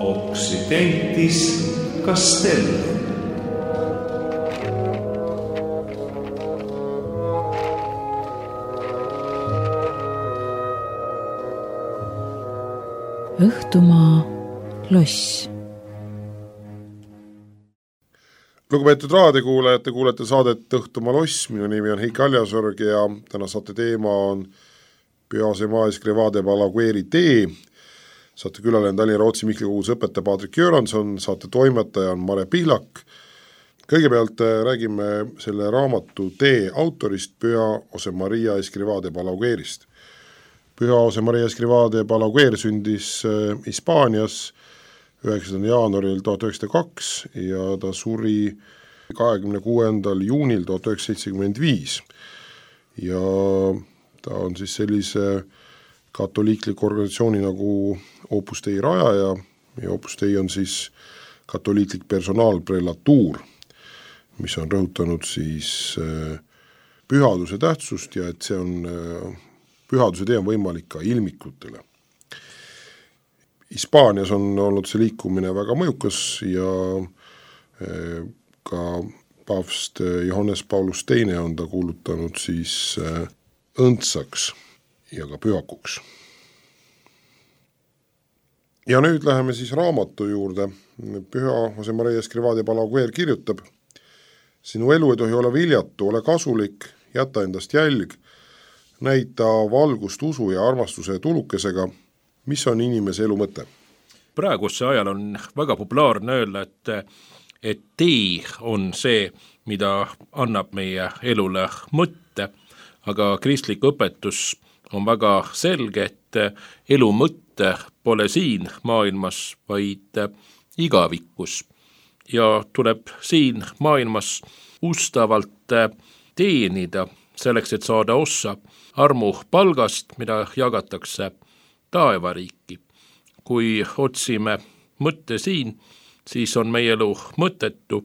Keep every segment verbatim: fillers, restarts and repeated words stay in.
Occidentis Castellum. Õhtumaa loss. Lugupeetud raadiokuulajad, te kuulete saadet Õhtumaa loss, minu nimi on Heiki Aljasorg ja täna saate teema on Pühase Maes Grevade Balagueri tee. Saate külaline Tallinna Rootsi Mihkli koguduse õpetaja Patrik Göransson, saate toimetaja on Mare Pihlak. Kõigepealt räägime selle raamatu tee autorist Püha Jose Maria Escrivá de Balaguerist. Püha Jose Maria Escrivá de Balaguer sündis Hispaanias üheksandal jaanuaril tuhat üheksasada kaks ja ta suri kahekümne kuuendal juunil tuhat üheksasada seitsekümmend viis. Ja ta on siis sellise katoliikliku organisatsiooni nagu Opus Dei rajaja ja Opus Dei on siis katoliiklik personaalprelatuur, mis on rõhutanud siis pühaduse tähtsust ja et see on, pühaduse tee on võimalik ka ilmikutele. Hispaanias on olnud see liikumine väga mõjukas ja ka paavst Johannes Paulus teine on ta kuulutanud siis õndsaks ja ka pühakuks. Ja nüüd läheme siis raamatu juurde. Püha Jose Maria Escrivá de Balaguer kirjutab: sinu elu ei tohi olla viljatu, ole kasulik, jäta endast jälg, näita valgust usu ja armastuse tulukesega. Mis on inimese elu mõte? Praeguse ajal on väga populaarne öelda, et, et tee on see, mida annab meie elule mõtte, aga kristlik õpetus on väga selge, et elu mõtte pole siin maailmas, vaid igavikus. Ja tuleb siin maailmas ustavalt teenida selleks, et saada ossa armu palgast, mida jagatakse taevariiki. Kui otsime mõtte siin, siis on meie elu mõttetu.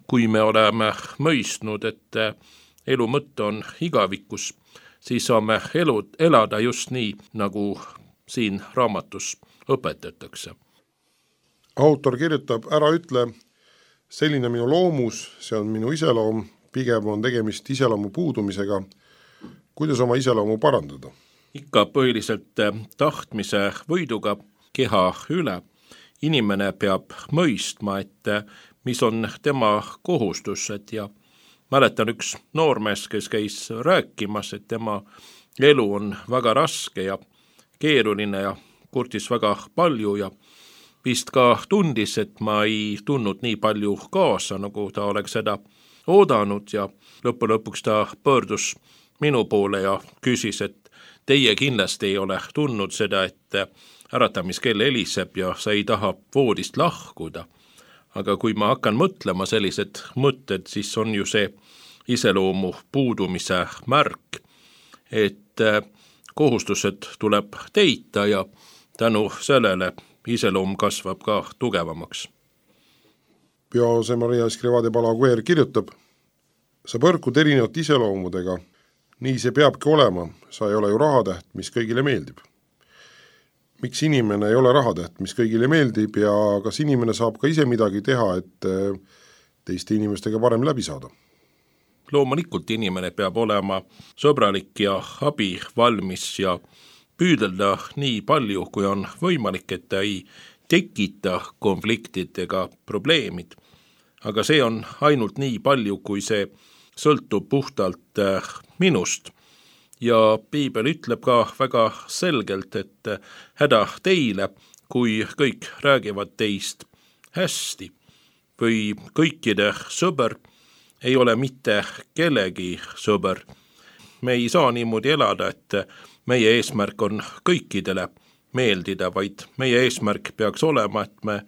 Kui me oleme mõistnud, et elu mõtte on igavikus, siis saame elu, elada just nii, nagu siin raamatus õpetatakse. Autor kirjutab: ära ütle, selline minu loomus, see on minu iseloom, pigem on tegemist iseloomu puudumisega. Kuidas oma iseloomu parandada? Ikka põhiliselt tahtmise võiduga keha üle. Inimene peab mõistma, et mis on tema kohustused ja mäletan üks noormees, kes käis rääkimas, et tema elu on väga raske ja keeruline ja kurtis väga palju ja vist ka tundis, et ma ei tundnud nii palju kaasa, nagu ta oleks seda oodanud ja lõppu lõpuks ta pöördus minu poole ja küsis, et teie kindlasti ei ole tundnud seda, et äratamis-kell heliseb ja sa ei taha voodist lahkuda. Aga kui ma hakkan mõtlema sellised mõtted, siis on ju see iseloomu puudumise märk, et kohustused tuleb teita ja tänu sellele iseloom kasvab ka tugevamaks. Püha Jose Maria Escrivá de Balaguer kirjutab: sa põrkud erinevate iseloomudega. Nii see peabki olema, sa ei ole ju rahatäht, mis kõigile meeldib. Miks inimene ei ole rahatäht, mis kõigile meeldib ja kas inimene saab ka ise midagi teha, et teiste inimestega parem läbi saada? Loomulikult inimene peab olema sõbralik ja abi valmis ja püüdelda nii palju, kui on võimalik, et ta ei tekita konfliktid ega probleemid. Aga see on ainult nii palju, kui see sõltub puhtalt minust. Ja piibel ütleb ka väga selgelt, et häda teile, kui kõik räägivad teist hästi. Või kõikide sõber ei ole mitte kellegi sõber. Me ei saa niimoodi elada, et meie eesmärk on kõikidele meeldida, vaid meie eesmärk peaks olema, et me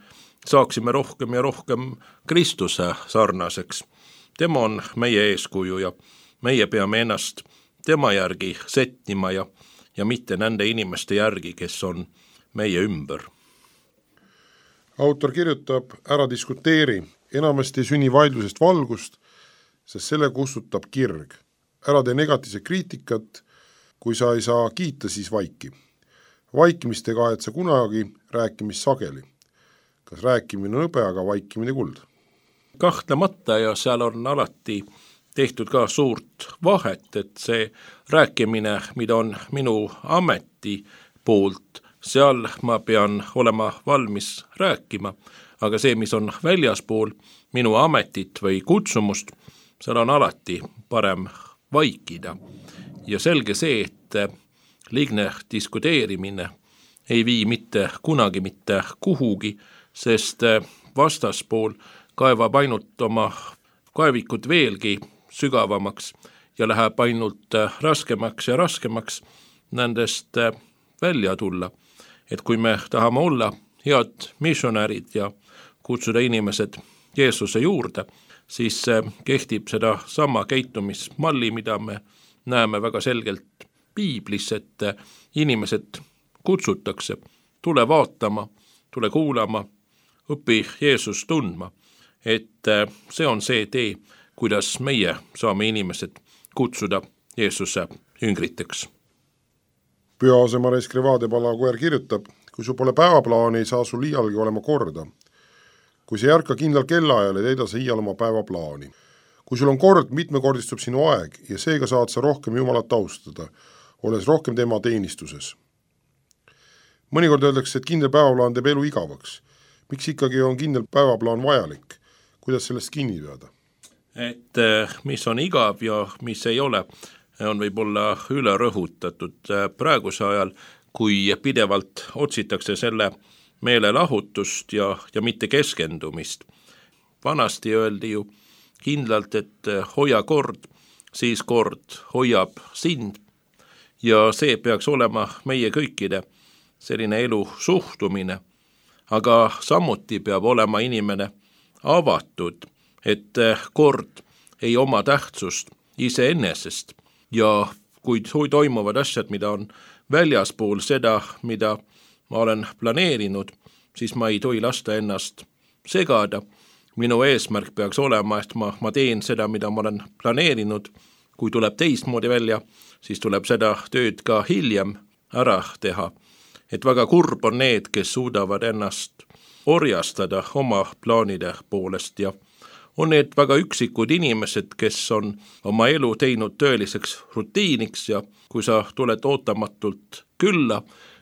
saaksime rohkem ja rohkem Kristuse sarnaseks. Tema on meie eeskuju ja meie peame ennast tema järgi settima ja, ja mitte nende inimeste järgi, kes on meie ümber. Autor kirjutab: ära diskuteeri, enamasti ei sünni vaidlusest valgust, sest selle kustutab kirg. Ära tee negatiivse kriitikat, kui sa ei saa kiita, siis vaiki. Vaikimist ei kahetse kunagi, rääkimist sageli. kas rääkimine on hõbe, aga vaikimine kuld? Kahtlemata, ja seal on alati tehtud ka suurt vahet, et see rääkimine, mida on minu ameti poolt, seal ma pean olema valmis rääkima, aga see, mis on väljaspool minu ametit või kutsumust, seal on alati parem vaikida. Ja selge see, et liigne diskuteerimine ei vii mitte kunagi mitte kuhugi, sest vastaspool kaevab ainult oma kaevikud veelgi sügavamaks ja läheb ainult raskemaks ja raskemaks nendest välja tulla. Et kui me tahame olla head missionärid ja kutsuda inimesed Jeesuse juurde, siis kehtib seda sama käitumismalli, mida me näeme väga selgelt piiblis, et inimesed kutsutakse, tule vaatama, tule kuulama, õpi Jeesus tundma, et see on see tee, kuidas meie saame inimesed kutsuda Jeesuse jüngriteks. Pühaasema Escrivá de Balaguer kirjutab, kui sul pole päevaplaani, ei saa sul iialgi olema korda. Kui sa ei ärka kindlal kellaajal, ei teida sa iial oma päevaplaani. Kui sul on kord, mitmekordistub sinu aeg ja seega saad sa rohkem Jumalat austada, olles rohkem tema teenistuses. Mõnikord öeldakse, et kindel päevaplaan teeb elu igavaks. Miks ikkagi on kindel päevaplaan vajalik? Kuidas sellest kinni peada? Et mis on igav ja mis ei ole, on võib-olla üle rõhutatud praeguse ajal, kui pidevalt otsitakse selle meelelahutust ja, ja mitte keskendumist. Vanasti öeldi ju kindlalt, et hoia kord, siis kord hoiab sind ja see peaks olema meie kõikide selline elu suhtumine, aga samuti peab olema inimene avatud, et kord ei oma tähtsust iseenesest ja kui toimuvad asjad, mida on väljaspool seda, mida ma olen planeerinud, siis ma ei tohi lasta ennast segada. Minu eesmärk peaks olema, et ma, ma teen seda, mida ma olen planeerinud. Kui tuleb teistmoodi välja, siis tuleb seda tööd ka hiljem ära teha. Et väga kurb on need, kes suudavad ennast orjastada oma plaanide poolest ja on need väga üksikud inimesed, kes on oma elu teinud tööliseks rutiiniks ja kui sa tuled ootamatult külla,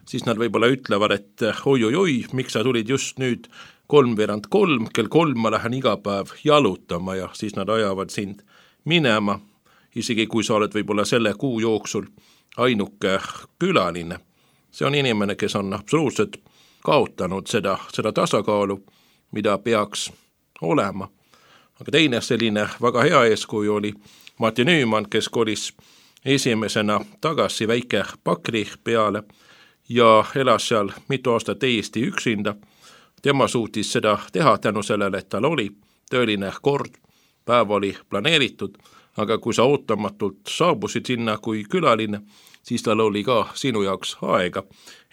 siis nad võib-olla ütlevad, et oi-oi-oi, miks sa tulid just nüüd kolmveerand kolm, kell kolm ma lähen iga päev jalutama ja siis nad ajavad sind minema, isegi kui sa oled võib-olla selle kuu jooksul ainuke külaline. See on inimene, kes on absoluutselt kaotanud seda, seda tasakaalu, mida peaks olema. Aga teine selline väga hea eeskuju oli Mati Nüüman, kes kolis esimesena tagasi väike Pakri peale ja elas seal mitu aastat täiesti üksinda. Tema suutis seda teha tänu sellele, et tal oli tööline kord, päev oli planeeritud, aga kui sa ootamatult saabusid sinna kui külaline, siis tal oli ka sinu jaoks aega.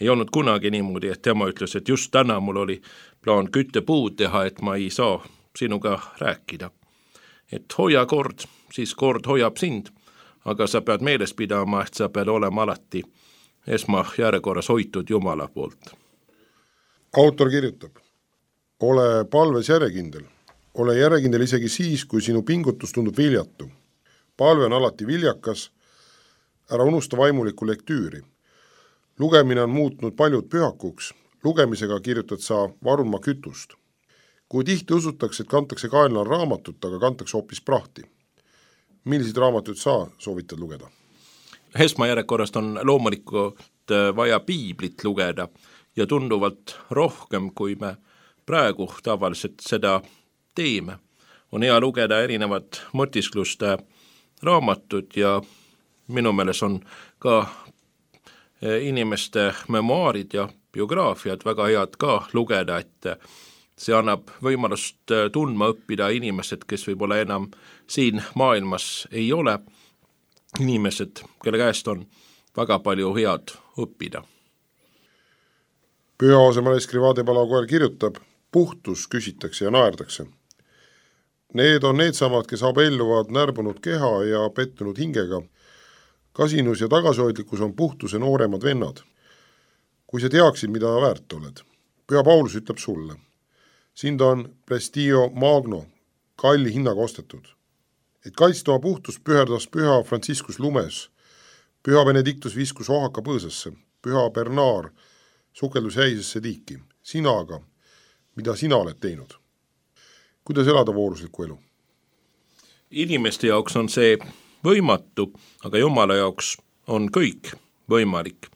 Ei olnud kunagi niimoodi, et tema ütles, et just täna mul oli plaan küttepuud teha, et ma ei saa sinuga rääkida. Et hoia kord, siis kord hoiab sind, aga sa pead meeles pidama, et sa pead olema alati esmajärjekorras hoitud Jumala poolt. Autor kirjutab, ole palves järjekindel. Ole järjekindel isegi siis, kui sinu pingutus tundub viljatu. Palve on alati viljakas, ära unusta vaimulikku lektüüri. Lugemine on muutnud paljud pühakuks, lugemisega kirjutad sa varunma kütust. Kui tihti usutakse, et kantakse kaenlal raamatut, aga kantakse hoopis prahti. Milliseid raamatuid sa soovitad lugeda? Esmajärjekorrast on loomulikult vaja piiblit lugeda ja tunduvalt rohkem, kui me praegu tavaliselt seda teeme. On hea lugeda erinevad mõtiskluste raamatud ja minu meeles on ka inimeste memuaarid ja biograafiad väga head ka lugeda, et see annab võimalust tundma õppida inimesed, kes võib-olla enam siin maailmas ei ole, inimesed, kelle käest on väga palju head õppida. Pühaasema Escrivá de Balaguer kirjutab, puhtus küsitakse ja naerdakse. Need on need samad, kes abelluvad närbunud keha ja pettunud hingega. Kasinus ja tagasihoidlikkus on puhtuse nooremad vennad. Kui sa teaksid, mida väärt oled. Püha Paulus ütleb sulle. Sind on Prestigio Magno kalli hinnaga ostetud. Et kaitsta oma puhtust püherdas püha Franciscus Lumes, püha Benedictus viskus ohaka põõsasse, püha Bernard sukeldus häisesse tiiki. Sina aga, mida sina oled teinud? Kuidas elada vooruslikku elu? Inimeste jaoks on see võimatu, aga Jumala jaoks on kõik võimalik.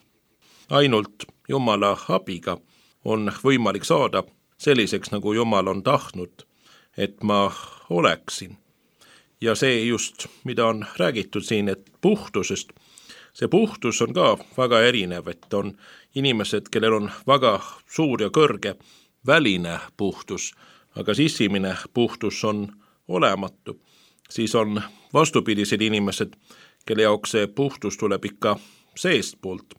Ainult Jumala abiga on võimalik saada selliseks, nagu Jumal on tahtnud, et ma oleksin. Ja see just, mida on räägitud siin, et puhtusest, see puhtus on ka väga erinev, et on inimesed, kellel on väga suur ja kõrge väline puhtus, aga sissimine puhtus on olematu. Siis on vastupidised inimesed, kelle jaoks see puhtus tuleb ikka seestpoolt.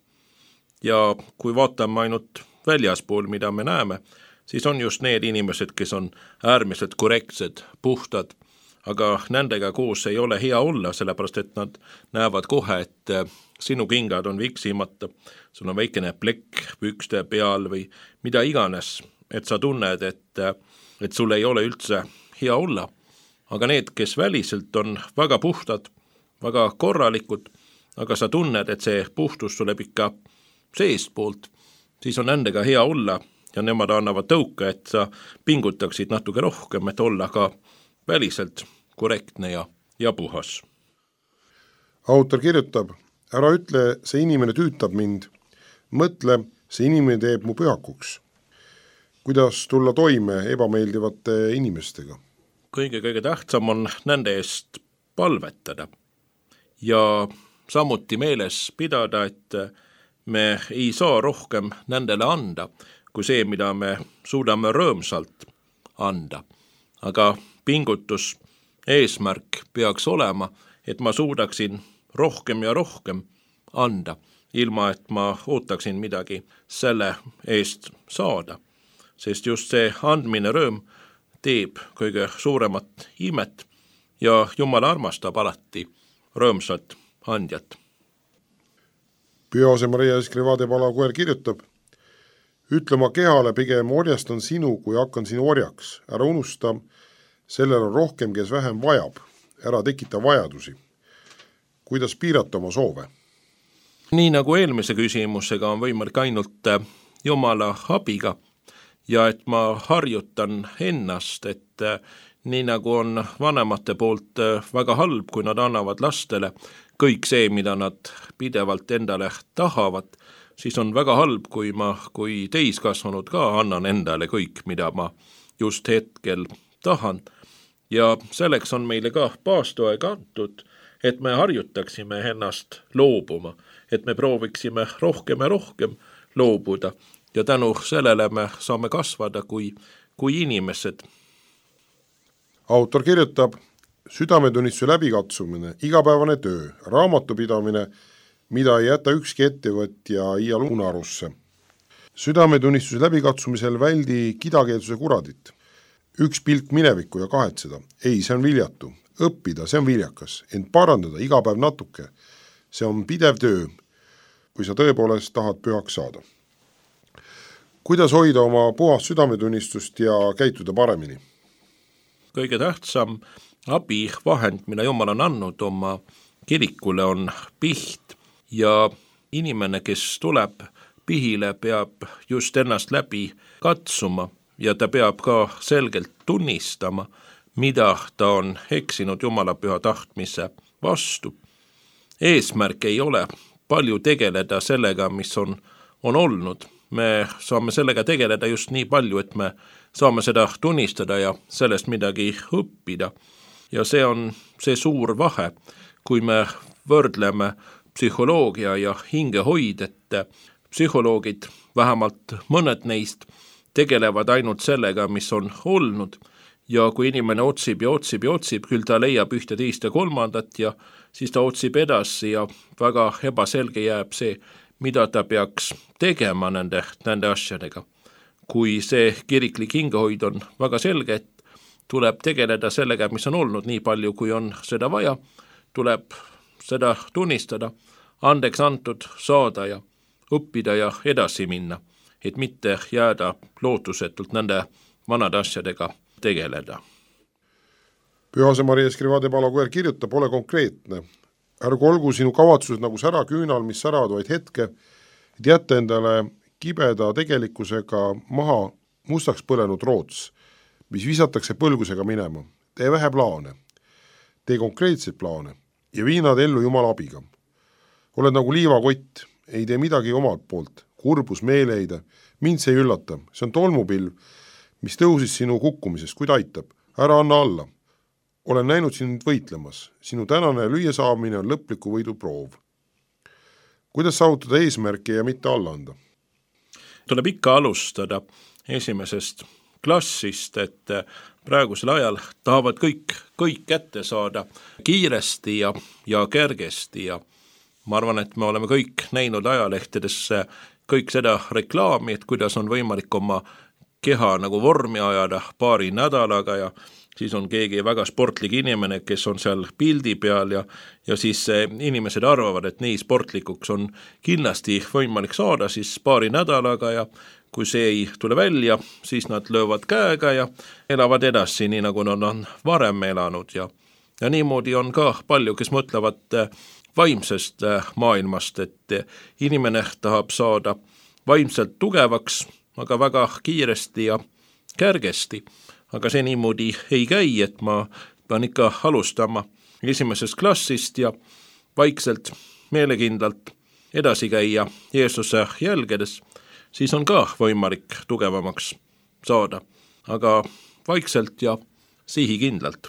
Ja kui vaatame ainult väljaspool, mida me näeme, siis on just need inimesed, kes on äärmiselt korrektsed, puhtad, aga nendega koos ei ole hea olla, sellepärast et nad näevad kohe, et sinu kingad on viksimata, sul on väikene plekk pükste peal või mida iganes, et sa tunned, et, et sul ei ole üldse hea olla. Aga need, kes väliselt on väga puhtad, väga korralikud, aga sa tunned, et see puhtus tuleb ikka seestpoolt, siis on nendega hea olla ja nemad annavad tõuka, et sa pingutaksid natuke rohkem, et olla ka väliselt korrektne ja, ja puhas. Autor kirjutab, ära ütle, see inimene tüütab mind, mõtle, see inimene teeb mu pühakuks. Kuidas tulla toime ebameeldivate inimestega? Kõige-kõige tähtsam on nende eest palvetada ja samuti meeles pidada, et me ei saa rohkem nendele anda, kui see, mida me suudame rõõmsalt anda. Aga pingutus, eesmärk peaks olema, et ma suudaksin rohkem ja rohkem anda, ilma et ma ootaksin midagi selle eest saada. Sest just see andmine rõõm teeb kõige suuremat imet ja Jumal armastab alati rõõmsat andjat. Pühase Maria Escrivá de Balaguer kirjutab, ütle oma kehale, pigem orjastan sinu, kui hakkan sinu orjaks. Ära unusta, sellel on rohkem, kes vähem vajab. Ära tekita vajadusi. Kuidas piirata oma soove? Nii nagu eelmise küsimusega on võimalik ainult Jumala abiga ja et ma harjutan ennast, et nii nagu on vanemate poolt väga halb, kui nad annavad lastele kõik see, mida nad pidevalt endale tahavad, siis on väga halb, kui ma kui täiskasvanud ka annan endale kõik, mida ma just hetkel tahan. Ja selleks on meile ka paastoaeg antud, et me harjutaksime ennast loobuma, et me prooviksime rohkem ja rohkem loobuda ja tänu sellele me saame kasvada kui, kui inimesed. Autor kirjutab, südametunnistuse läbikatsumine, igapäevane töö, raamatupidamine, mida ei jäta ükski ettevõtja iial unarusse. Südametunnistuse läbikatsumisel väldi kidakeelsuse kuradit. Üks pilk minevikku ja kahetseda. Ei, see on viljatu. Õppida, see on viljakas. Ent parandada iga päev natuke. See on pidev töö, kui sa tõepoolest tahad pühaks saada. Kuidas hoida oma puhast südametunnistust ja käituda paremini? Kõige tähtsam abivahend, mida Jumal on andnud oma kirikule, on piht ja inimene, kes tuleb pihile, peab just ennast läbi katsuma ja ta peab ka selgelt tunnistama, mida ta on eksinud Jumala püha tahtmise vastu. Eesmärk ei ole palju tegeleda sellega, mis on, on olnud. Me saame sellega tegeleda just nii palju, et me saame seda tunnistada ja sellest midagi õppida. Ja see on see suur vahe, kui me võrdleme psühholoogia ja hingehoid, et psühholoogid, vähemalt mõned neist, tegelevad ainult sellega, mis on olnud ja kui inimene otsib ja otsib ja otsib, küll ta leiab ühte teist ja kolmandat ja siis ta otsib edasi ja väga ebaselge jääb see, mida ta peaks tegema nende, nende asjadega. Kui see kiriklik hingehoid on väga selge, et tuleb tegeleda sellega, mis on olnud nii palju, kui on seda vaja, tuleb seda tunnistada, andeks antud saada ja õppida ja edasi minna, et mitte jääda lootusetult nende vanade asjadega tegeleda. Pühase Maria Escrivá de Balaguer kirjutab, ole konkreetne. Ärgu olgu sinu kavatsused nagu sära küünal, mis säravad vaid hetke, et jätta endale kibeda tegelikkusega maha mustaks põlenud roots, mis visatakse põlgusega minema. Tee vähe plaane, tee konkreetseid plaane ja vii nad ellu Jumala abiga. Oled nagu liivakott, ei tee midagi omalt poolt, kurbus, meeleheide, mind see ei üllata, see on tolmupilv, mis tõusis sinu kukkumisest, kuid aitab, ära anna alla. Olen näinud sind võitlemas, sinu tänane lüüa saamine on lõpliku võidu proov. Kuidas saavutada eesmärki ja mitte alla anda? Tuleb ikka alustada esimesest klassist, et praegusel ajal tahavad kõik, kõik kätte saada kiiresti ja, ja kergesti ja ma arvan, et me oleme kõik näinud ajalehtedesse kõik seda reklaami, et kuidas on võimalik oma keha nagu vormi ajada paari nädalaga ja siis on keegi väga sportlik inimene, kes on seal pildi peal ja, ja siis inimesed arvavad, et nii sportlikuks on kindlasti võimalik saada siis paari nädalaga ja kui see ei tule välja, siis nad löövad käega ja elavad edasi, nii nagu nad on varem elanud ja, ja niimoodi on ka palju, kes mõtlevad vaimsest maailmast, et inimene tahab saada vaimselt tugevaks, aga väga kiiresti ja kergesti. Aga see niimoodi ei käi, et ma pean ikka alustama esimesest klassist ja vaikselt, meelekindlalt edasi käia Jeesuse jälgedes, siis on ka võimalik tugevamaks saada, aga vaikselt ja sihikindlalt.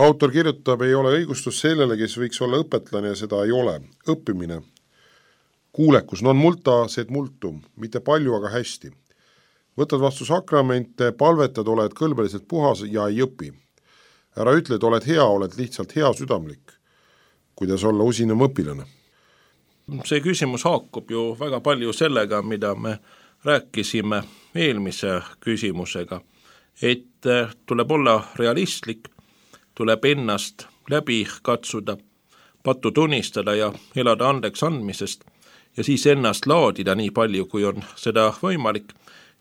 Autor kirjutab, ei ole õigustus sellele, kes võiks olla õpetlane ja seda ei ole. Õppimine. Kuulekus, non multa sed multum, mitte palju, aga hästi. Võtad vastu sakramente, palvetad, oled kõlbeliselt puhas ja ei õpi. Ära ütle, et oled hea, oled lihtsalt hea südamlik. Kuidas olla usinem õpilane? See küsimus haakub ju väga palju sellega, mida me rääkisime eelmise küsimusega, et tuleb olla realistlik, tuleb ennast läbi katsuda, pattu tunnistada ja elada andeks andmisest ja siis ennast laadida nii palju, kui on seda võimalik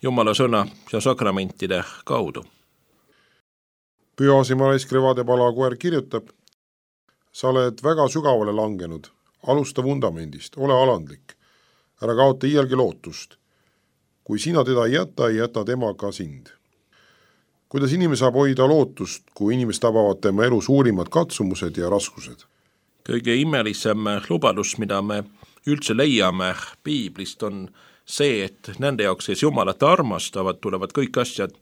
Jumala sõna ja sakramentide kaudu. Pühase Maria Escrivá de Balaguer kirjutab, sa oled väga sügavale langenud, alusta vundamendist, ole alandlik, ära kaota iialgi lootust. Kui sina teda ei jäta, ei jäta tema ka sind. Kuidas inimene saab hoida lootust, kui inimest tabavad tema elu suurimad katsumused ja raskused? Kõige imelisem lubadus, mida me üldse leiame piiblist, on see, et nende jaoks, kes Jumalat armastavad, tulevad kõik asjad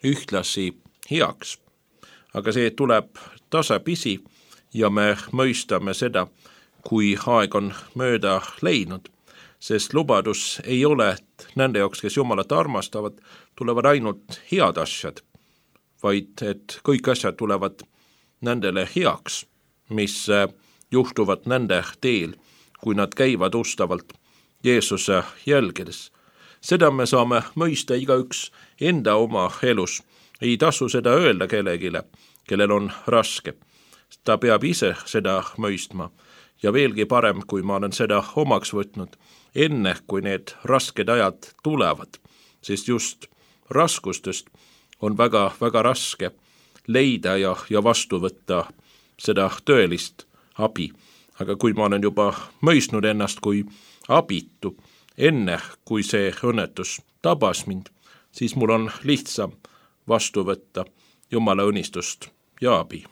ühtlasi heaks. Aga see tuleb tasapisi ja me mõistame seda, kui aeg on mööda leidnud, sest lubadus ei ole, et nende jaoks, kes Jumalat armastavad, tulevad ainult head asjad, vaid et kõik asjad tulevad nendele heaks, mis juhtuvad nende teel, kui nad käivad ustavalt Jeesuse jälgedes. Seda me saame mõista igaüks enda oma elus. Ei tasu seda öelda kellegile, kellel on raske. Ta peab ise seda mõistma ja veelgi parem, kui ma olen seda omaks võtnud, enne kui need rasked ajad tulevad, sest just raskustest on väga, väga raske leida ja, ja vastu võtta seda tõelist abi. Aga kui ma olen juba mõistnud ennast kui abitu, enne kui see õnnetus tabas mind, siis mul on lihtsam vastu võtta Jumala õnnistust ja abi.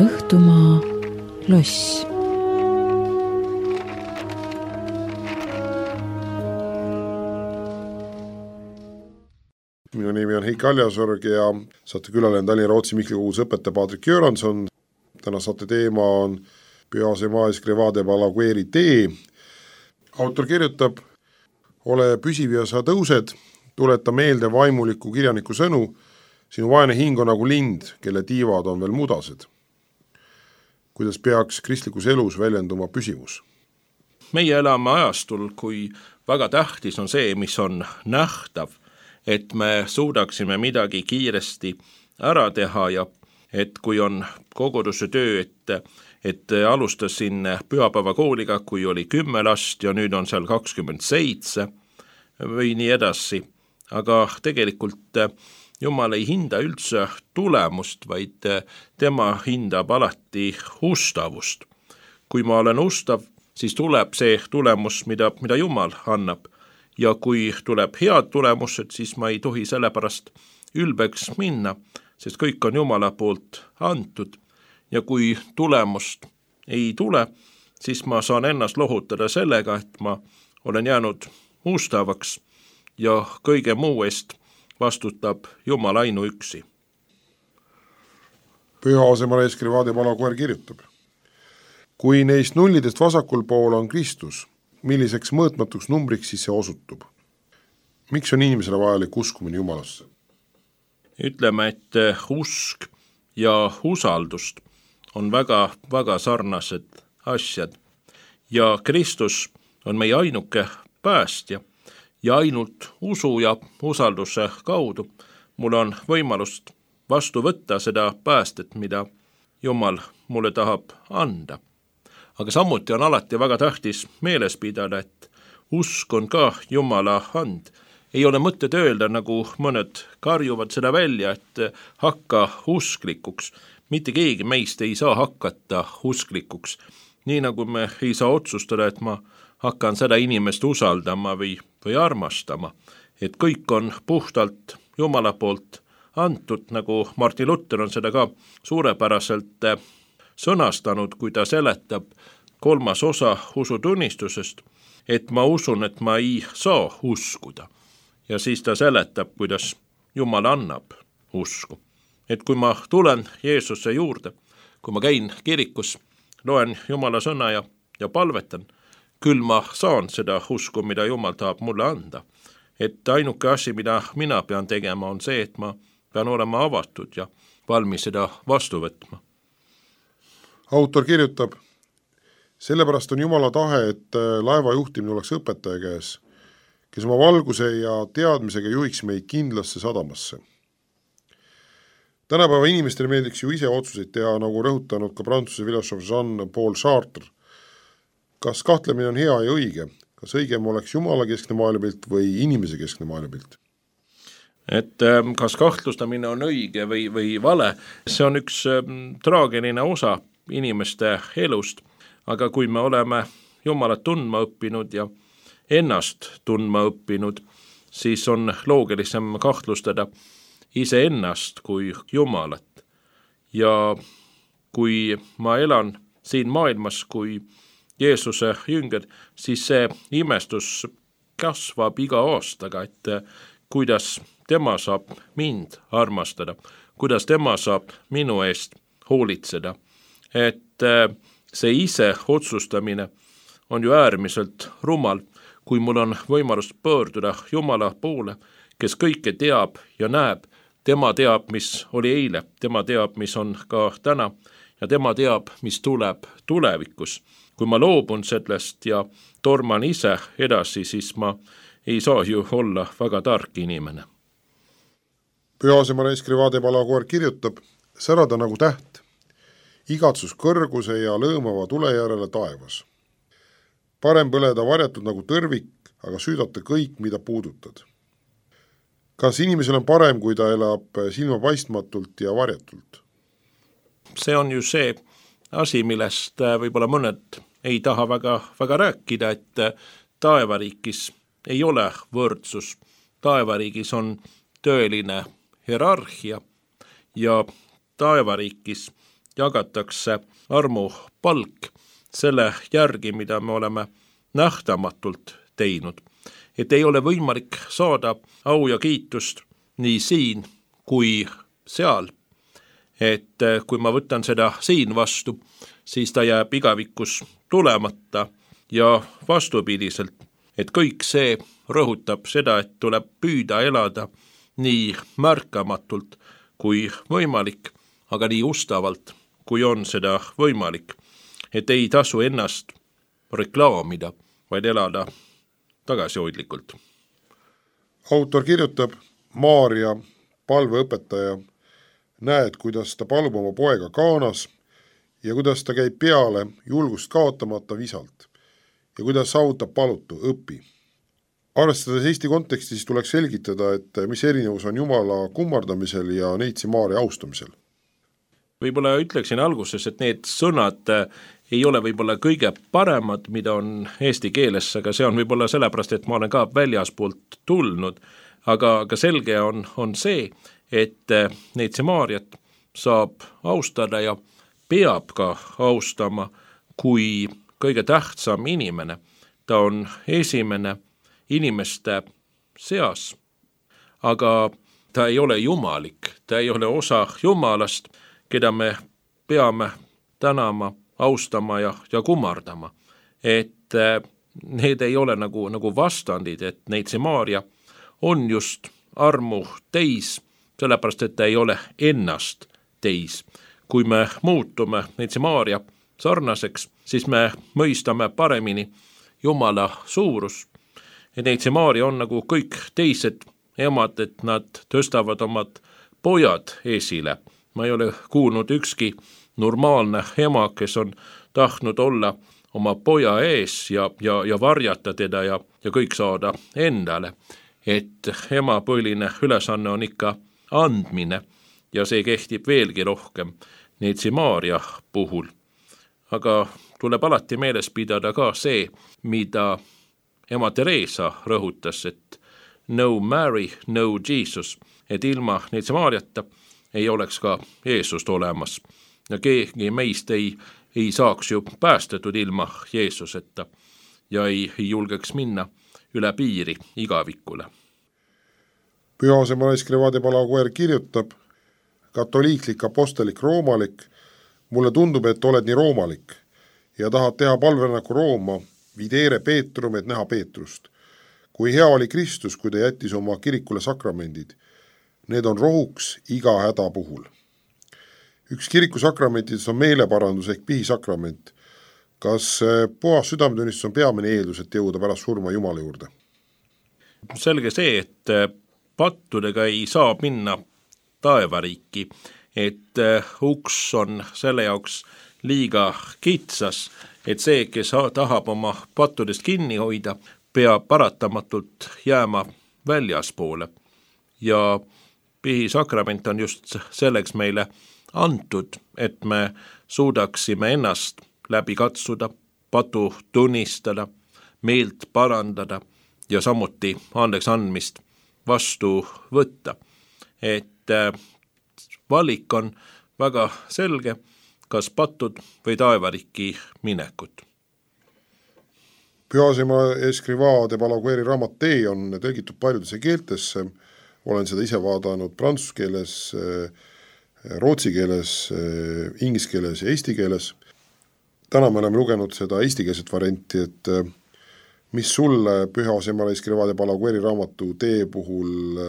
Õhtumaa loss. Minu nimi on Heiki Aljasorg ja saate külaline Tallinna Rootsi Mihkli koguduse õpetaja Patrik Göransson. Täna saate teema on Pyhase Maes Grevade Balagueri tee. Autor kirjutab: ole püsiv ja sa tõused, tuleta meelde vaimuliku kirjaniku sõnu, sinu vaene hing on nagu lind, kelle tiivad on veel mudased. Kuidas peaks kristlikus elus väljenduma püsivus? Meie elame ajastul, kui väga tähtis on see, mis on nähtav, et me suudaksime midagi kiiresti ära teha ja et kui on koguduse töö, et, et alustasin pühapäevakooliga, kui oli kümme last ja nüüd on seal kakskümmend seitse või nii edasi. Aga tegelikult Jumal ei hinda üldse tulemust, vaid tema hindab alati ustavust. Kui ma olen ustav, siis tuleb see tulemus, mida, mida Jumal annab. Ja kui tuleb head tulemused, siis ma ei tohi sellepärast ülbeks minna, sest kõik on Jumala poolt antud. Ja kui tulemust ei tule, siis ma saan ennast lohutada sellega, et ma olen jäänud ustavaks ja kõige muu eest vastutab Jumal ainuüksi. Pyhase Maes Grevade Balaguer kirjutab: kui neist nullidest vasakul pool on Kristus, milliseks mõõtmatuks numbriks siis see osutub? Miks on inimesele vajalik uskumine Jumalasse? Ütleme, et usk ja usaldust on väga, väga sarnased asjad. Ja Kristus on meie ainuke päästja ja ainult usu ja usalduse kaudu mul on võimalust vastu võtta seda päästet, mida Jumal mulle tahab anda. Aga samuti on alati väga tähtis meeles pidada, et usk on ka Jumala and. Ei ole mõtted öelda, nagu mõned karjuvad seda välja, et hakka usklikuks. Mitte keegi meist ei saa hakata usklikuks. Nii nagu me ei saa otsustada, et ma hakkan seda inimest usaldama või, või armastama. Et kõik on puhtalt Jumala poolt antud, nagu Martin Luther on seda ka suurepäraselt sõnastanud, kui ta seletab kolmas osa usutunnistusest, et ma usun, et ma ei saa uskuda. Ja siis ta seletab, kuidas Jumal annab usku. Et kui ma tulen Jeesuse juurde, kui ma käin kirikus, loen Jumala sõna ja, ja palvetan, küll ma saan seda usku, mida Jumal tahab mulle anda. Et ainuke asi, mida mina pean tegema, on see, et ma pean olema avatud ja valmis seda vastu võtma. Autor kirjutab: sellepärast on Jumala tahe, et laeva juhtimine oleks õpetaja käes, kes oma valguse ja teadmisega juhiks meid kindlasse sadamasse. Tänapäeva inimestele meeldiks ju ise otsuseid teha, nagu rõhutanud ka prantsuse filosoof Jean-Paul Sartre. Kas kahtlemine on hea ja õige? Kas õigem oleks Jumala keskne maailmapilt või inimese keskne maailmapilt? Et kas kahtlustamine on õige või, või vale, see on üks traageline osa inimeste elust, aga kui me oleme Jumalat tundma õppinud ja ennast tundma õppinud, siis on loogilisem kahtlustada iseennast kui Jumalat. Ja kui ma elan siin maailmas kui Jeesuse jünger, siis see imestus kasvab iga aastaga, et kuidas tema saab mind armastada, kuidas tema saab minu eest hoolitseda. Et see ise otsustamine on ju äärmiselt rumal, kui mul on võimalus pöörduda Jumala poole, kes kõike teab ja näeb. Tema teab, mis oli eile, tema teab, mis on ka täna ja tema teab, mis tuleb tulevikus. Kui ma loobun sellest ja torman ise edasi, siis ma ei saa ju olla väga tark inimene. Pyhase Maes Grevade Balaguer kirjutab: särada nagu täht, igatsus kõrguse ja lõõmava tule järele taevas. Parem põleda varjatud nagu tõrvik, aga süüdata kõik, mida puudutad. Kas inimesel on parem, kui ta elab silmapaistmatult ja varjatult? See on ju see asi, millest võib-olla mõned ei taha väga, väga rääkida, et taevariigis ei ole võrdsus. Taevariigis on tõeline hierarhia ja taevariigis jagatakse armupalk selle järgi, mida me oleme nähtamatult teinud. Et ei ole võimalik saada au ja kiitust nii siin kui seal. Et kui ma võtan seda siin vastu, siis ta jääb igavikus tulemata ja vastupidiselt, et kõik see rõhutab seda, et tuleb püüda elada nii märkamatult kui võimalik, aga nii ustavalt, kui on seda võimalik, et ei tasu ennast reklaamida, vaid elada tagasihoidlikult. Autor kirjutab, Maarja, palveõpetaja, näed, kuidas ta palub oma poega Kaanas ja kuidas ta käib peale julgust kaotamata visalt ja kuidas saavutab palutu, õpi. Arvestades Eesti kontekstis tuleks selgitada, et mis erinevus on Jumala kummardamisel ja neitsi Maarja austamisel. Võib-olla ütleksin alguses, et need sõnad ei ole võib-olla kõige paremad, mida on eesti keeles, aga see on võib-olla sellepärast, et ma olen ka väljaspoolt tulnud, aga, aga selge on, on see, et neitsi Maarjat saab austada ja peab ka austama kui kõige tähtsam inimene. Ta on esimene inimeste seas, aga ta ei ole jumalik, ta ei ole osa Jumalast, keda me peame tänama, austama ja, ja kummardama. Et need ei ole nagu, nagu vastandid, et neitsi Maarja on just armu teis, sellepärast, et ta ei ole ennast teis. Kui me muutume neitsi Maarja sarnaseks, siis me mõistame paremini Jumala suurus. Et neitsi Maarja on nagu kõik teised emad, et nad tõstavad omad pojad esile. Ma ei ole kuulnud ükski normaalne ema, kes on tahtnud olla oma poja ees ja, ja, ja varjata teda ja, ja kõik saada endale. Et ema põhiline ülesanne on ikka andmine ja see kehtib veelgi rohkem neitsi Maarja puhul. Aga tuleb alati meeles pidada ka see, mida ema Teresa rõhutas, et no Mary, no Jesus, et ilma neitsi Maarjata ei oleks ka Jeesust olemas. Ja keegi meist ei, ei saaks ju päästetud ilma Jeesuseta ja ei, ei julgeks minna üle piiri igavikule. Pühasemalaist Grevade Palaguer kirjutab, katoliiklik, apostelik, roomalik, mulle tundub, et oled nii roomalik ja tahad teha palverännaku Rooma, videre Peetrum, et näha Peetrust. Kui hea oli Kristus, kui ta jättis oma kirikule sakramendid, need on rohuks iga häda puhul. Üks kiriku sakramentides on meeleparandus ehk pihisakrament. Kas puhas südametunnistus on peamine eeldus, et jõuda pärast surma Jumala juurde? Selge see, et pattudega ei saa minna taevariiki, et uks on selle jaoks liiga kitsas, et see, kes tahab oma pattudest kinni hoida, peab paratamatult jääma väljaspoole. Ja pihisakrament on just selleks meile antud, et me suudaksime ennast läbi katsuda, patu tunnistada, meelt parandada ja samuti andeks andmist vastu võtta. Et valik on väga selge, kas patud või taevariki minekut. Pühasema Escrivá de Palagueri raamat Tee on tõlgitud paljudesse keeltesse, olen seda ise vaadanud prantsuse keeles, rootsi keeles, inglise keeles ja eesti keeles. Täna me oleme lugenud seda eestikeelset varianti, et mis sulle Pühasema Escrivá de Palagueri raamatu Tee puhul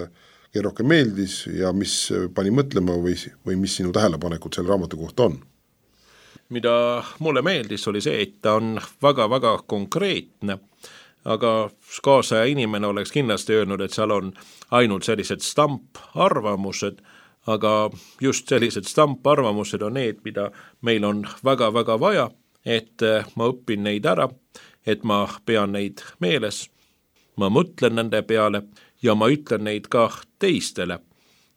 rohkem meeldis ja mis pani mõtlema või, või mis sinu tähelepanekud selle raamatu kohta on? Mida mulle meeldis oli see, et ta on väga-väga konkreetne, aga kaasaja inimene oleks kindlasti öelnud, et seal on ainult sellised stamparvamused, aga just sellised stamparvamused on need, mida meil on väga-väga vaja, et ma õpin neid ära, et ma pean neid meeles, ma mõtlen nende peale ja ma ütlen neid ka teistele,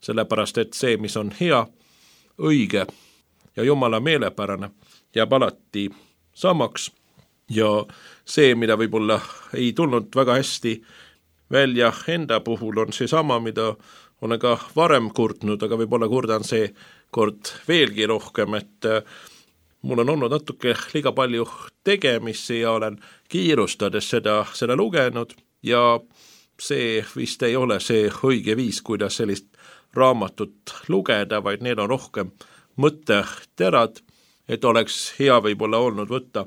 sellepärast et see, mis on hea, õige ja Jumala meelepärane, jääb alati samaks ja see, mida võib-olla ei tulnud väga hästi välja enda puhul, on see sama, mida olen ka varem kurtnud, aga võib-olla kurdan see kord veelgi rohkem, et mul on olnud natuke liiga palju tegemisi ja olen kiirustades seda, seda lugenud ja see vist ei ole see õige viis, kuidas sellist raamatut lugeda, vaid need on rohkem mõtteterad, et oleks hea võib-olla olnud võtta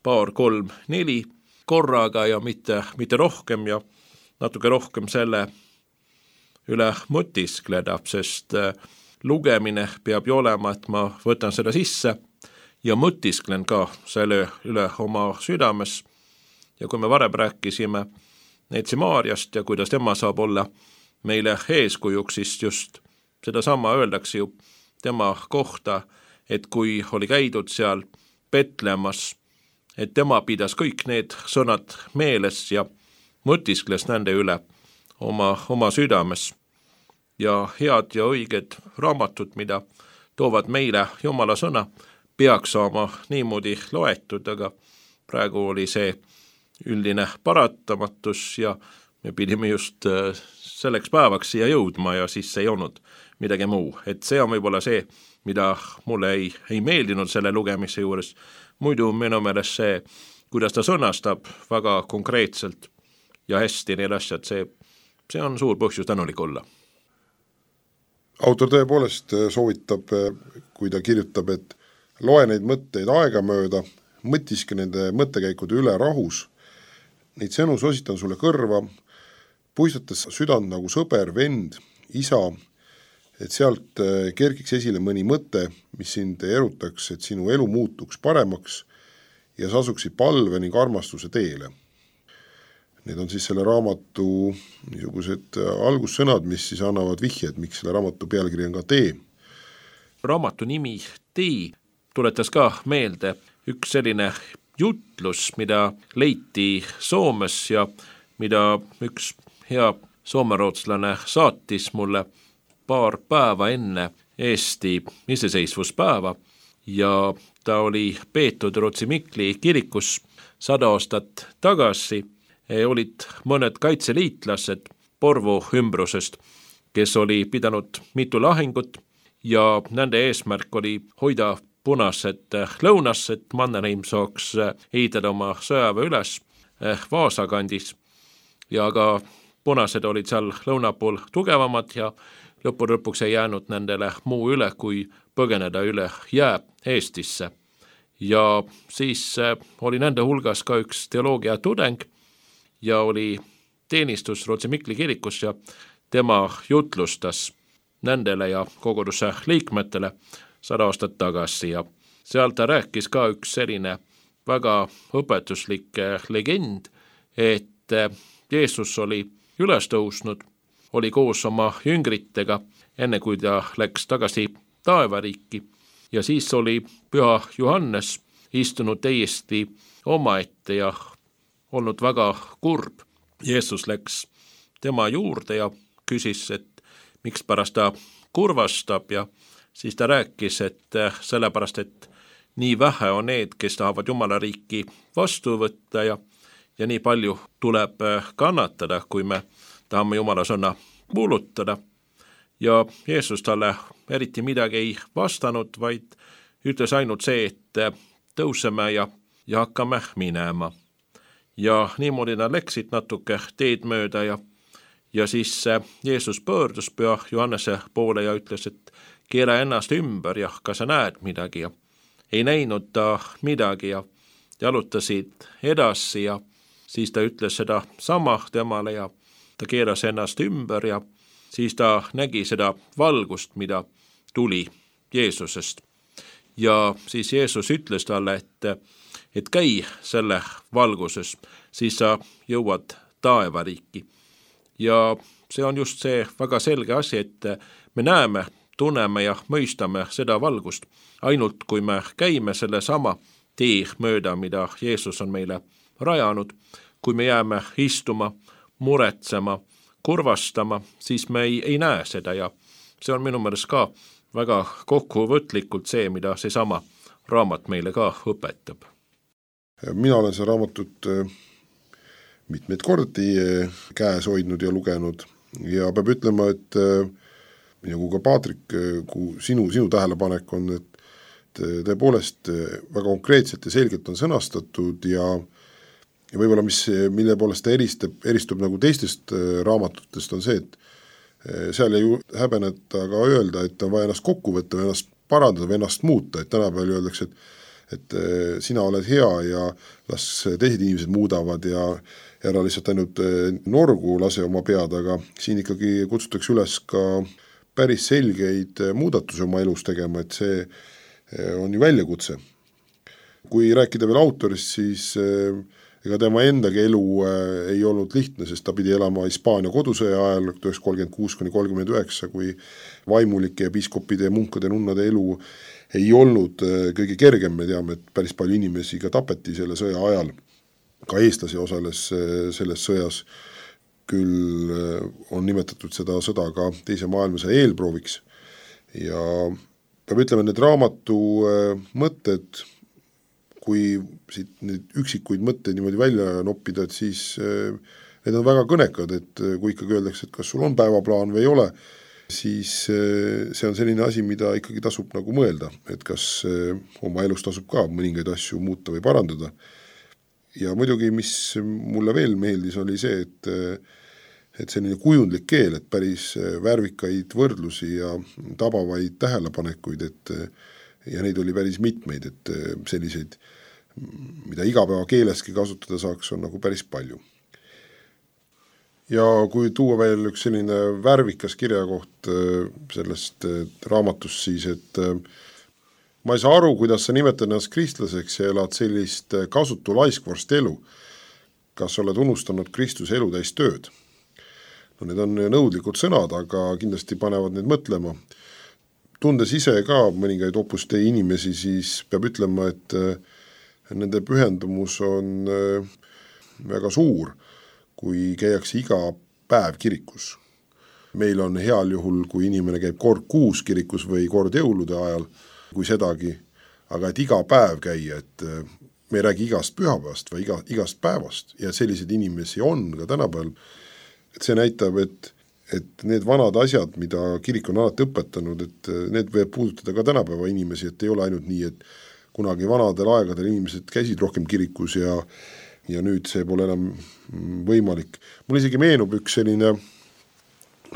paar, kolm, neli korraga ja mitte, mitte rohkem ja natuke rohkem selle üle mõtiskleda, sest lugemine peab ju olema, et ma võtan seda sisse ja mõtisklen ka selle üle oma südames. Ja kui me varem rääkisime Neitsi Maarjast ja kuidas tema saab olla meile eeskujuks, siis just seda sama öeldakse ju tema kohta, et kui oli käidud seal Petlemmas, et tema pidas kõik need sõnad meeles ja mõtiskles nende üle oma, oma südames. Ja head ja õiged raamatud, mida toovad meile Jumala sõna, peaks saama niimoodi loetud, aga praegu oli see üldine paratamatus ja me pidime just selleks päevaks siia jõudma ja siis ei olnud midagi muu. Et see on võib-olla see, mida mulle ei, ei meeldinud selle lugemise juures. Muidu minu meelest see, kuidas ta sõnastab väga konkreetselt ja hästi need asjad, see, see on suur põhjus tänulik olla. Autor tõepoolest soovitab, kui ta kirjutab, et loe neid mõtteid aegamööda, mõtiske nende mõttekäikude üle rahus, neid sõnu sositan sulle kõrva, puistates südant nagu sõber, vend, isa, et sealt kerkiks esile mõni mõte, mis sind erutaks, et sinu elu muutuks paremaks ja sa asuksid palve ning armastuse teele. Need on siis selle raamatu niisugused algussõnad, mis siis annavad vihjed, miks selle raamatu pealkiri on ka Tee. Raamatu nimi Tee tuletas ka meelde üks selline jutlus, mida leiti Soomes ja mida üks hea soomerootslane saatis mulle paar päeva enne Eesti iseseisvuspäeva ja ta oli peetud Rootsi Mikli kirikus sada aastat tagasi. Olid mõned kaitseliitlased Porvo ümbrusest, kes oli pidanud mitu lahingut ja nende eesmärk oli hoida punased lõunas, et Mannerheim saaks ehitada oma sõjaväe üles Vaasa kandis ja ka punased olid seal lõuna pool tugevamad ja lõppu lõpuks ei jäänud nendele muu üle, kui põgeneda üle jää Eestisse. Ja siis oli nende hulgas ka üks teoloogia tudeng ja oli teenistus Rootsi Mikli kirikus ja tema jutlustas nendele ja koguduse liikmetele sada aastat tagasi ja seal ta rääkis ka üks selline väga õpetuslik legend, et Jeesus oli üles tõusnud, oli koos oma jüngritega, enne kui ta läks tagasi taevariiki ja siis oli Püha Johannes istunud täiesti omaette ja olnud väga kurb. Jeesus läks tema juurde ja küsis, et miks pärast ta kurvastab ja siis ta rääkis, et sellepärast, et nii vähe on need, kes tahavad Jumala riiki vastu võtta ja, ja nii palju tuleb kannatada, kui me tahame Jumala sõna kuulutada. Ja Jeesus talle eriti midagi ei vastanud, vaid ütles ainult see, et tõuseme ja, ja hakkame minema. Ja niimoodi nad läksid natuke teed mööda ja, ja siis Jeesus pöördus Püha Johannese poole ja ütles, et keera ennast ümber ja kas sa näed midagi ja ei näinud ta midagi ja jalutasid edasi ja siis ta ütles seda sama temale ja ta keeras ennast ümber ja siis ta nägi seda valgust, mida tuli Jeesusest. Ja siis Jeesus ütles talle, et, et käi selle valguses, siis sa jõuad taevariiki. Ja see on just see väga selge asi, et me näeme, tunneme ja mõistame seda valgust, ainult kui me käime selle sama tee mööda, mida Jeesus on meile rajanud, kui me jääme istuma, muretsema, kurvastama, siis me ei, ei näe seda ja see on minu meelest ka väga kokkuvõtlikult see, mida see sama raamat meile ka õpetab. Mina olen see raamatut mitmeid kordi käes hoidnud ja lugenud ja peab ütlema, et ja kui ka Paatrik, kui sinu, sinu tähelepanek on, et tõepoolest väga konkreetselt ja selgelt on sõnastatud ja, ja võib-olla mis, mille poolest ta eristub, eristub nagu teistest raamatutest on see, et seal ei häbeneta ka öelda, et on vaja ennast kokku võtta või ennast parandada või ennast muuta, et tänapäeval öeldakse, et, et sina oled hea ja las teised inimesed muudavad ja ära lihtsalt ainult norgu lase oma pead, aga siin ikkagi kutsutakse üles ka päris selgeid muudatusi oma elus tegema, et see on ju väljakutse. Kui rääkida veel autorist, siis ega tema endagi elu ei olnud lihtne, sest ta pidi elama Hispaania kodusõja ajal tuhat üheksasada kolmkümmend kuus kuni kolmkümmend üheksa, kui vaimulike ja piiskopide ja munkade nunnade elu ei olnud kõige kergem, me teame, et päris palju inimesi ka tapeti selle sõja ajal. Ka eestlasi osales selles sõjas, küll on nimetatud seda sõda ka teise maailmasõja eelprooviks ja peab ütlema, need raamatu mõtted, kui siit neid üksikuid mõtteid niimoodi välja noppida, et siis need on väga kõnekad, et kui ikkagi öeldakse, et kas sul on päevaplaan või ei ole, siis see on selline asi, mida ikkagi tasub nagu mõelda, et kas oma elus tasub ka mõningaid asju muuta või parandada. Ja muidugi, mis mulle veel meeldis, oli see, et et selline kujundlik keel, et päris värvikaid võrdlusi ja tabavaid tähelepanekuid, et ja neid oli päris mitmeid, et selliseid, mida igapäeva keeleski kasutada saaks, on nagu päris palju. Ja kui tuua veel üks selline värvikas kirjakoht sellest raamatust, siis et ma ei saa aru, kuidas sa nimetad ennast kristlaseks ja elad sellist kasutu laiskvorst elu. Kas oled unustanud Kristuse elu täis tööd? No need on nõudlikud sõnad, aga kindlasti panevad need mõtlema. Tundes ise ka mõningaid opuste inimesi, siis peab ütlema, et nende pühendumus on väga suur, kui käiakse iga päev kirikus. Meil on heal juhul, kui inimene käib kord kuus kirikus või kord jõulude ajal, kui sedagi, aga et iga päev käia, et me ei räägi igast pühapäevast või iga, igast päevast ja selliseid inimesi on ka tänapäeval. Et see näitab, et, et need vanad asjad, mida kirik on alati õpetanud, et need võib puudutada ka tänapäeva inimesi, et ei ole ainult nii, et kunagi vanadel aegadel inimesed käisid rohkem kirikus ja, ja nüüd see pole enam võimalik. Mul isegi meenub üks selline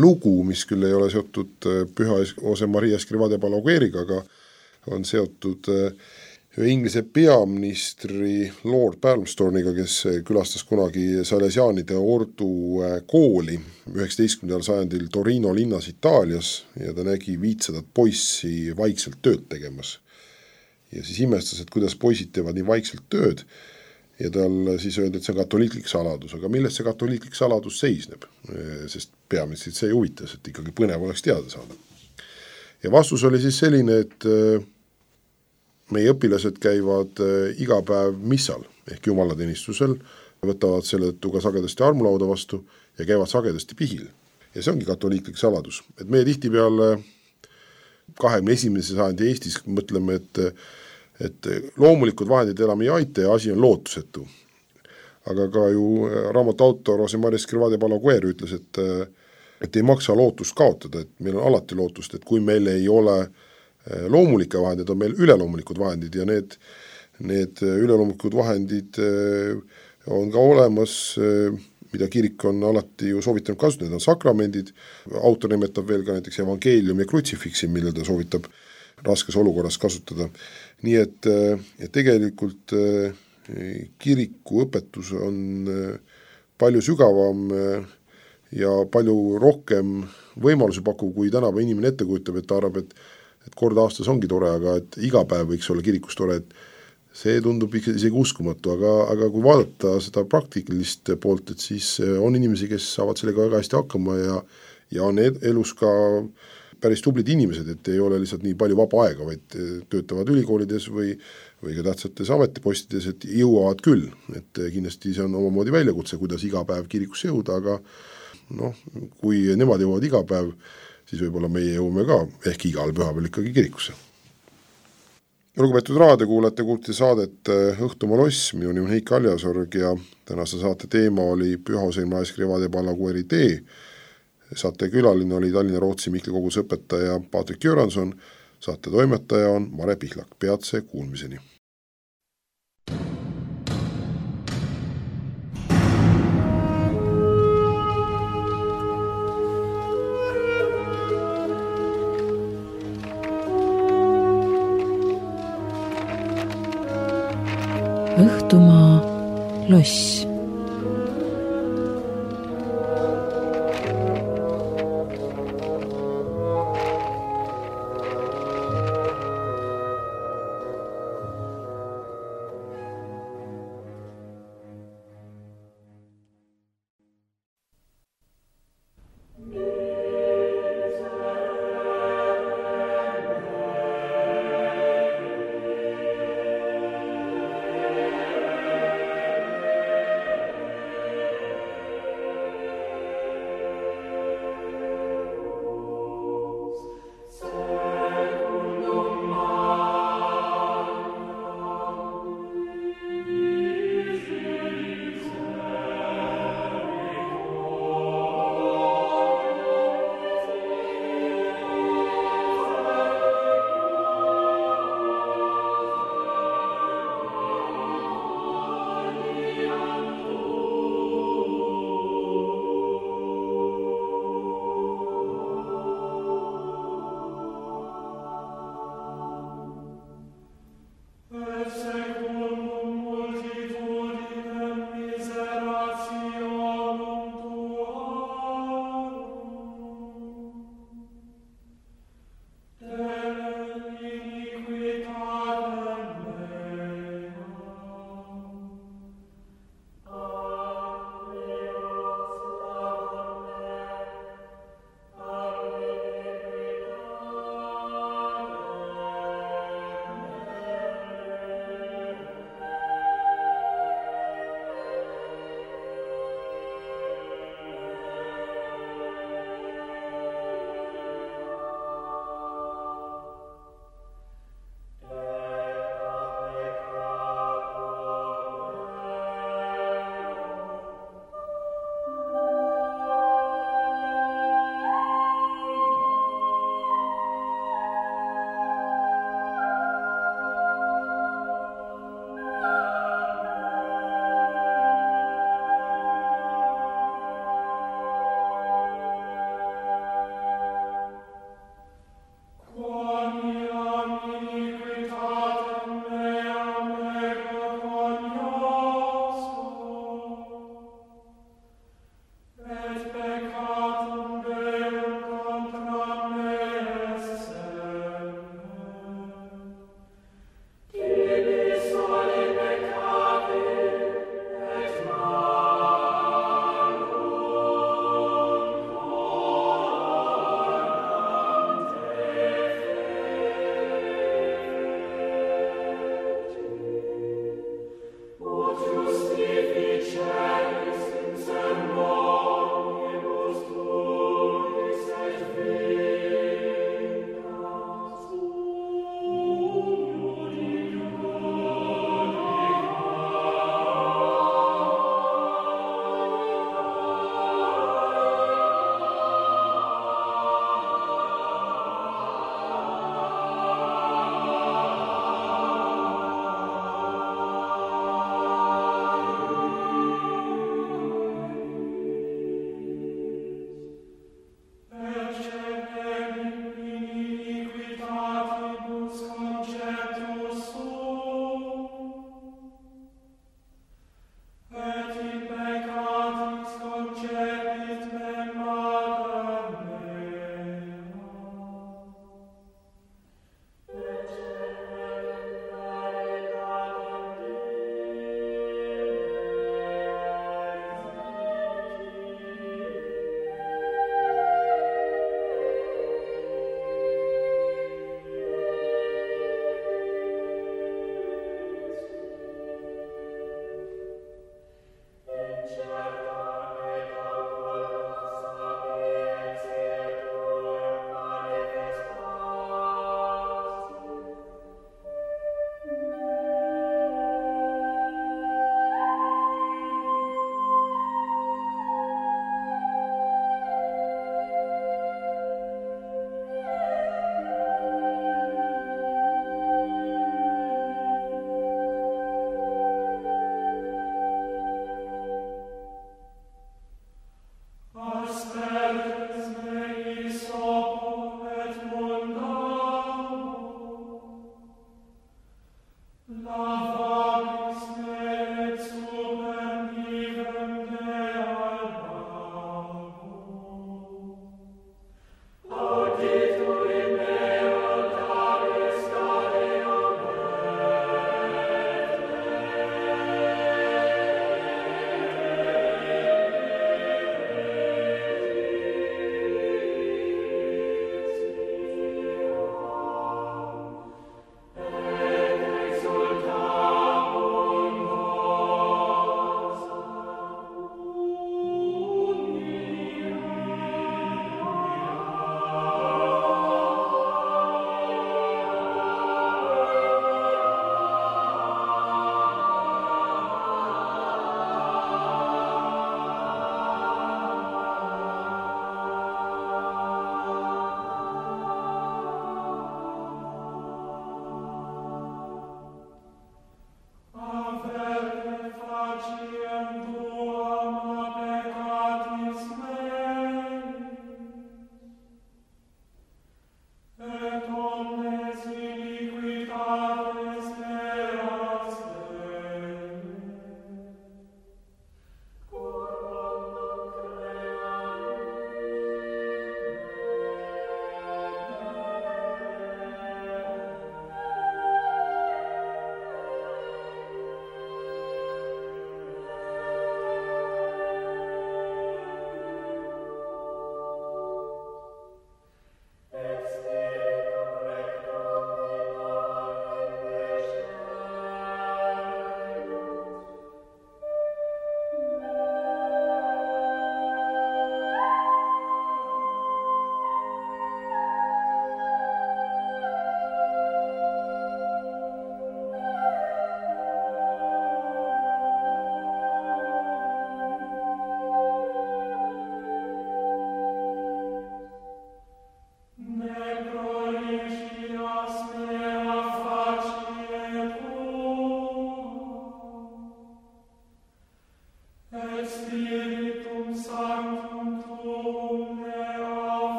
lugu, mis küll ei ole seotud Püha Jose Maria Escrivá de Balagueriga, aga on seotud ühe Inglise peaministri Lord Palmerstorniga, kes külastas kunagi salesiaanide ordu kooli üheksateistkümnendal sajandil Torino linnas Itaalias ja ta nägi viitsadat poissi vaikselt tööd tegemas. Ja siis imestas, et kuidas poisid teevad nii vaikselt tööd ja tal siis öeldi, et see on katoliiklik saladus, aga millest see katoliiklik saladus seisneb, sest peaministrit see huvitas, et ikkagi põnev oleks teada saada. Ja vastus oli siis selline, et meie õpilased käivad iga päev missal ehk jumalateenistusel, võtavad selle tõttu ka sagedasti armulauda vastu ja käivad sagedasti pihil. Ja see ongi katoliiklik saladus. Et meie tihtipeale kahekümne esimese sajandi Eestis mõtleme, et, et loomulikud vahendid enam ei aita ja asi on lootusetu. Aga ka ju raamatu autor Jose Maria Escrivá de Balaguer ütles, et, et ei maksa lootust kaotada, et meil on alati lootust, et kui meil ei ole loomulike vahendid, on meil üleloomulikud vahendid ja need, need üleloomulikud vahendid on ka olemas, mida kirik on alati ju soovitanud kasutada, need on sakramendid, autor nimetab veel ka näiteks evangeelium ja krutsifiksi, mille ta soovitab raskes olukorras kasutada. Nii et, et tegelikult kiriku õpetus on palju sügavam ja palju rohkem võimalusi pakub, kui tänava inimene ette kujutab, et ta arvab, et et kord aastas ongi tore, aga et iga päev võiks olla kirikus tore, et see tundub isegi uskumatu, aga, aga kui vaadata seda praktilist poolt, et siis on inimesi, kes saavad sellega väga hästi hakkama ja, ja on elus ka päris tublid inimesed, et ei ole lihtsalt nii palju vaba aega, vaid töötavad ülikoolides või, või ka tähtsates ametipostides, et jõuavad küll, et kindlasti see on omamoodi väljakutse, kuidas iga päev kirikusse jõuda, aga noh, kui nemad jõuavad iga päev, siis võib-olla meie jõume ka ehk igal pühapäeval ikkagi kirikusse. Lugupeetud raadiokuulajate, kuulti saadet Õhtumaa loss, minu nimi on Heiki Aljasorg ja tänase saate teema oli Püha Jose Maria Escrivá de Balagueri tee. Saate külaline oli Tallinna Rootsi Mihkli kogusõpetaja Patrik Göranson, saate toimetaja on Mare Pihlak. Peatse kuulmiseni! Õhtumaa loss.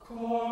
Cor